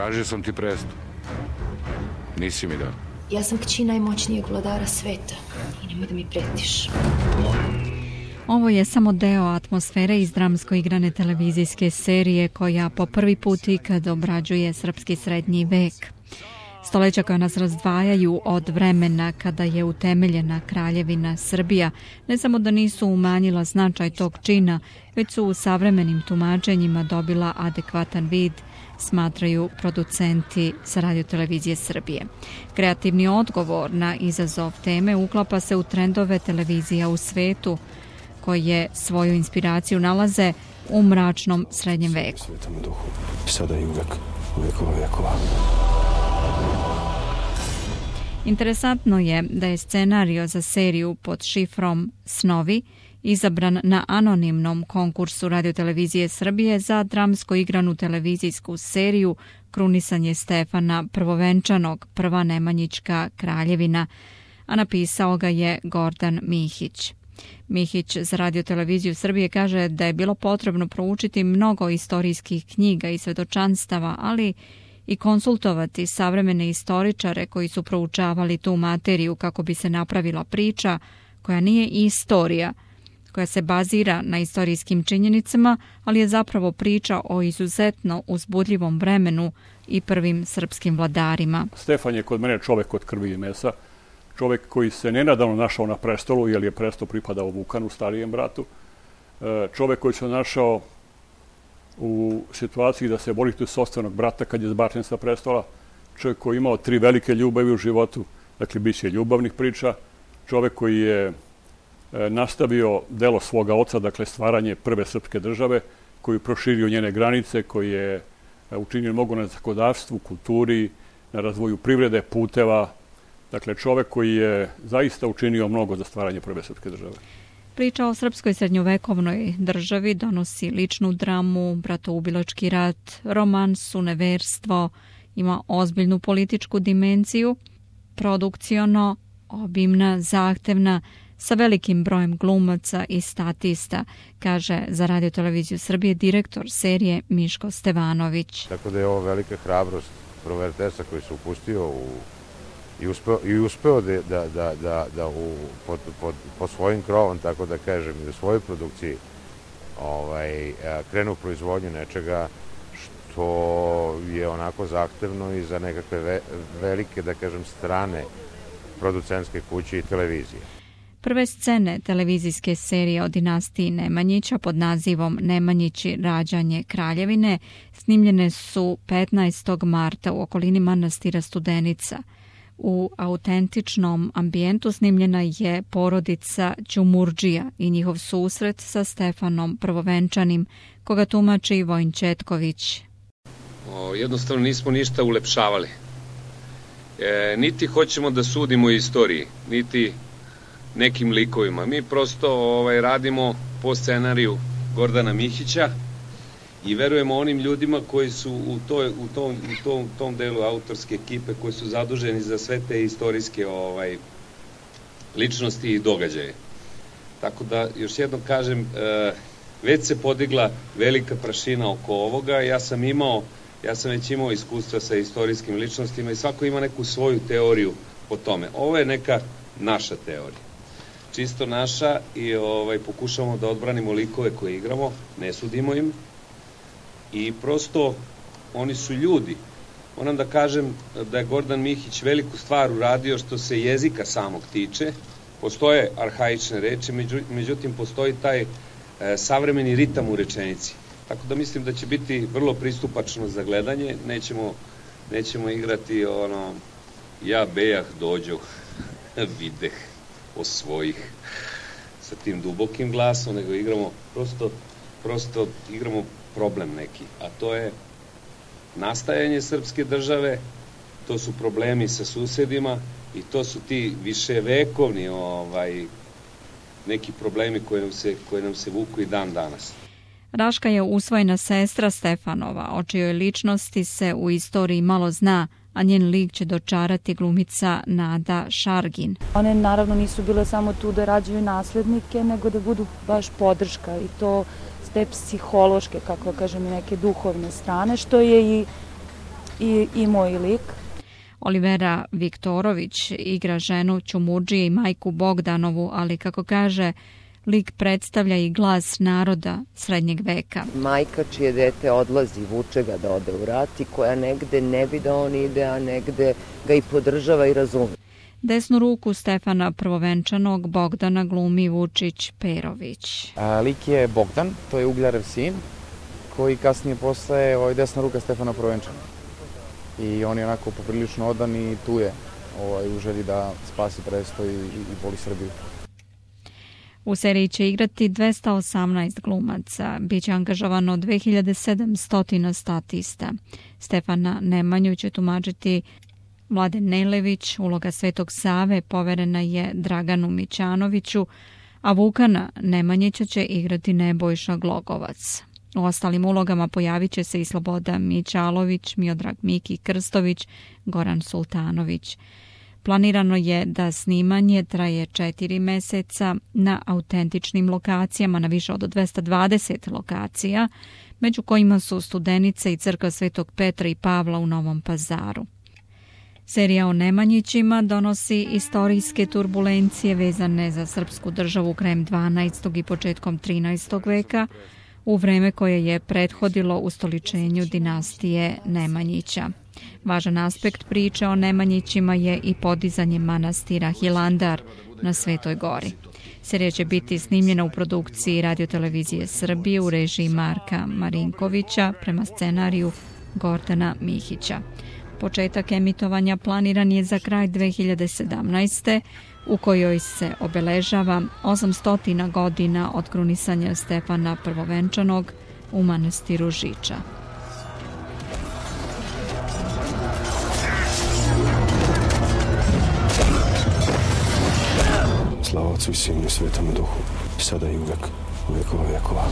Tražio sam ti presto. Nisi mi dao. Ja sam kći najmoćnijeg vladara sveta i nemoj da mi pretiš. Ovo je samo deo atmosfere iz dramsko igrane televizijske serije koja po prvi put ikad obrađuje srpski srednji vek. Stoleća koja nas razdvajaju od vremena kada je utemeljena Kraljevina Srbija ne samo da nisu umanjila značaj tog čina, već su u savremenim tumačenjima dobila adekvatan vid, smatraju producenti sa radiotelevizije Srbije. Kreativni odgovor na izazov teme uklapa se u trendove televizija u svetu, koje svoju inspiraciju nalaze u mračnom srednjem veku. Svetom duhu, sada i uvek, uvekova vekova. Interesantno je da je scenario za seriju pod šifrom Snovi izabran na anonimnom konkursu radiotelevizije Srbije za dramsko igranu televizijsku seriju Krunisanje Stefana Prvovenčanog, Prva Nemanjićka kraljevina, a napisao ga je Gordan Mihić. Mihić za radioteleviziju Srbije kaže da je bilo potrebno proučiti mnogo istorijskih knjiga i svedočanstava, ali i konsultovati savremene istoričare koji su proučavali tu materiju kako bi se napravila priča koja nije istorija, koja se bazira na istorijskim činjenicama, ali je zapravo priča o izuzetno uzbudljivom vremenu i prvim srpskim vladarima. Stefan je kod mene čovek od krvi i mesa, čovek koji se nenadavno našao na prestolu, jer je presto pripadao Vukanu, starijem bratu, čovek koji se našao u situaciji da se bori tu sopstvenog brata kad je zbačen sa prestola, čovjek koji je imao 3 velike ljubavi u životu, dakle bit će ljubavnih priča, čovjek koji je nastavio delo svoga oca, dakle stvaranje prve srpske države, koji je proširio njene granice, koji je učinio mnogo na zakonodavstvu, kulturi, na razvoju privrede, puteva, dakle čovjek koji je zaista učinio mnogo za stvaranje prve srpske države. Priča o srpskoj srednjovekovnoj državi donosi ličnu dramu, bratoubilački rat, romansu, neverstvo, ima ozbiljnu političku dimenziju, produkciono, obimna, zahtevna, sa velikim brojem glumaca i statista, kaže za radioteleviziju Srbije direktor serije Miško Stevanović. Tako da je ovo velika hrabrost prvo RTS-a koji se upustio i uspeo da pod svojim krovom, tako da kažem, i u svojoj produkciji krenu u proizvodnju nečega što je onako zahtevno i za nekakve velike, da kažem, strane producentske kuće i televizije. Prve scene televizijske serije o dinastiji Nemanjića pod nazivom Nemanjići rađanje kraljevine snimljene su 15. marta u okolini manastira Studenica. U autentičnom ambijentu snimljena je porodica Ćumurdžija i njihov susret sa Stefanom Prvovenčanim, koga tumači Vojin Četković. Jednostavno nismo ništa ulepšavali. Niti hoćemo da sudimo istoriji, niti nekim likovima. Mi prosto radimo po scenariju Gordana Mihića i verujemo onim ljudima koji su u tom delu autorske ekipe koji su zaduženi za sve te istorijske ličnosti i događaje. Tako da, još jednom kažem, već se podigla velika prašina oko ovoga. Ja sam već imao iskustva sa istorijskim ličnostima i svako ima neku svoju teoriju po tome. Ovo je neka naša teorija. Čisto naša i pokušamo da odbranimo likove koje igramo, ne sudimo im i prosto oni su ljudi. Moram da kažem da je Gordan Mihić veliku stvar uradio što se jezika samog tiče. Postoje arhaične reči, međutim postoji taj savremeni ritam u rečenici. Tako da mislim da će biti vrlo pristupačno za gledanje, nećemo igrati ja bejah dođoh, videh osvojih sa tim dubokim glasom, nego igramo prosto igramo problem neki, a to je nastajanje srpske države, to su problemi sa susedima i to su ti viševekovni neki problemi koji nam se vuku i dan danas. Raška je usvojena sestra Stefanova, o čijoj ličnosti se u istoriji malo zna, a njen lik će dočarati glumica Nada Šargin. One naravno nisu bile samo tu da rađaju naslednike, nego da budu baš podrška i to s te psihološke, kako kažem, i neke duhovne strane, što je i i moj lik. Olivera Viktorović igra ženu Ćumudžije i majku Bogdanovu, ali kako kaže, lik predstavlja i glas naroda srednjeg veka. Majka čije dete odlazi, vuče ga da ode u rat i koja negde ne bi da on ide, a negde ga i podržava i razume. Desnu ruku Stefana Prvovenčanog Bogdana glumi Vučić Perović. Lik je Bogdan, to je Ugljarev sin, koji kasnije postaje desna ruka Stefana Prvovenčana. I on je onako poprilično odan i tu je u želji da spasi presto i voli Srbiju. U seriji će igrati 218 glumaca, biće angažovano 2700 statista. Stefana Nemanju će tumačiti Mladen Nelević, uloga Svetog Save poverena je Draganu Mićanoviću, a Vukana Nemanjića će igrati Nebojša Glogovac. U ostalim ulogama pojavit će se i Sloboda Mićalović, Miodrag Miki Krstović, Goran Sultanović. Planirano je da snimanje traje 4 meseca na autentičnim lokacijama, na više od 220 lokacija, među kojima su Studenica i crkva Svetog Petra i Pavla u Novom Pazaru. Serija o Nemanjićima donosi istorijske turbulencije vezane za srpsku državu krajem 12. i početkom 13. veka, u vreme koje je prethodilo ustoličenju dinastije Nemanjića. Važan aspekt priče o Nemanjićima je i podizanje manastira Hilandar na Svetoj gori. Serija će biti snimljena u produkciji Radiotelevizije Srbije u režiji Marka Marinkovića prema scenariju Gordana Mihića. Početak emitovanja planiran je za kraj 2017. u kojoj se obeležava 800 godina od krunisanja Stefana Prvovenčanog u manastiru Žiča. Slava Otcu i Sinu i Svetome Duhu, sada i uvek, u vekova vekova.